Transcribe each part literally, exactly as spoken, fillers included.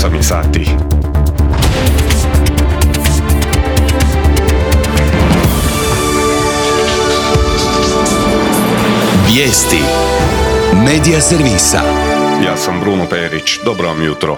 osam je sati. Vijesti Medija servisa. Ja sam Bruno Perić, dobro vam jutro.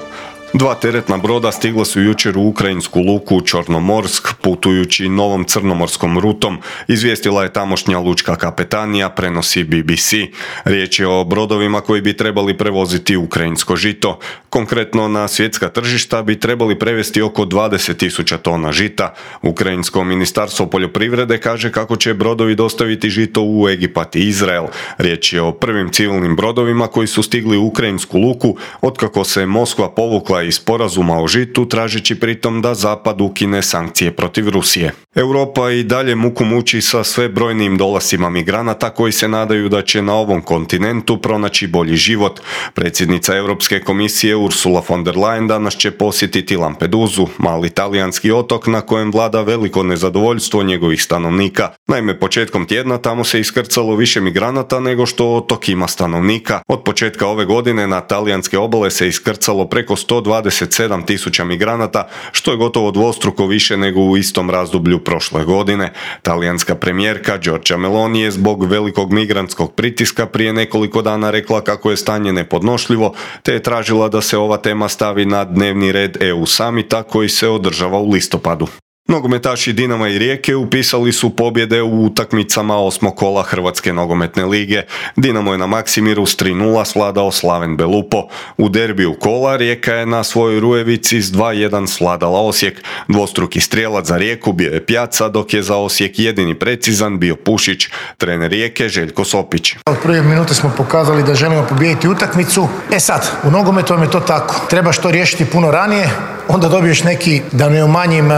Dva teretna broda stigla su jučer u ukrajinsku luku Čornomorsk putujući novom crnomorskom rutom, izvijestila je tamošnja lučka kapetanija, prenosi B B C. Riječ je o brodovima koji bi trebali prevoziti ukrajinsko žito. Konkretno na svjetska tržišta bi trebali prevesti oko dvadeset tisuća tona žita. Ukrajinsko ministarstvo poljoprivrede kaže kako će brodovi dostaviti žito u Egipat i Izrael. Riječ je o prvim civilnim brodovima koji su stigli u ukrajinsku luku otkako se Moskva povukla iz sporazuma o žitu, tražeći pritom da Zapad ukine sankcije protiv Rusije. Europa i dalje muku muči sa sve brojnim dolascima migranata koji se nadaju da će na ovom kontinentu pronaći bolji život. Predsjednica Europske komisije Ursula von der Leyen danas će posjetiti Lampedusu, mali talijanski otok na kojem vlada veliko nezadovoljstvo njegovih stanovnika. Naime, početkom tjedna tamo se iskrcalo više migranata nego što otok ima stanovnika. Od početka ove godine na talijanske obale se iskrcalo preko sto dvadeset sedam tisuća migranata, što je gotovo dvostruko više nego u istom razdoblju prošle godine. Talijanska premijerka Giorgia Meloni je zbog velikog migrantskog pritiska prije nekoliko dana rekla kako je stanje nepodnošljivo, te je tražila da se ova tema stavi na dnevni red E U samita koji se održava u listopadu. Nogometaši Dinama i Rijeke upisali su pobjede u utakmicama osmog kola Hrvatske nogometne lige. Dinamo je na Maksimiru s tri nula svladao Slaven Belupo. U derbiju kola Rijeka je na svojoj Rujevici s dva jedan svladala Osijek. Dvostruki strijelac za Rijeku bio je Pjaca, dok je za Osijek jedini precizan bio Pušić. Trener Rijeke Željko Sopić. Od prve minute smo pokazali da želimo pobijediti utakmicu. E sad, u nogometu vam je to tako. Treba što riješiti puno ranije, onda dobiješ neki, da ne umanjim e,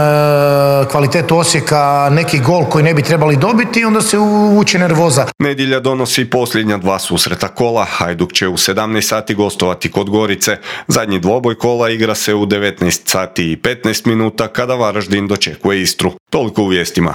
kvalitetu Osijeka, neki gol koji ne bi trebali dobiti i onda se uvuče nervoza. Nedjelja donosi posljednja dva susreta kola. Hajduk će u sedamnaest sati gostovati kod Gorice. Zadnji dvoboj kola igra se u devetnaest sati i petnaest minuta kada Varaždin dočekuje Istru. Toliko u vijestima.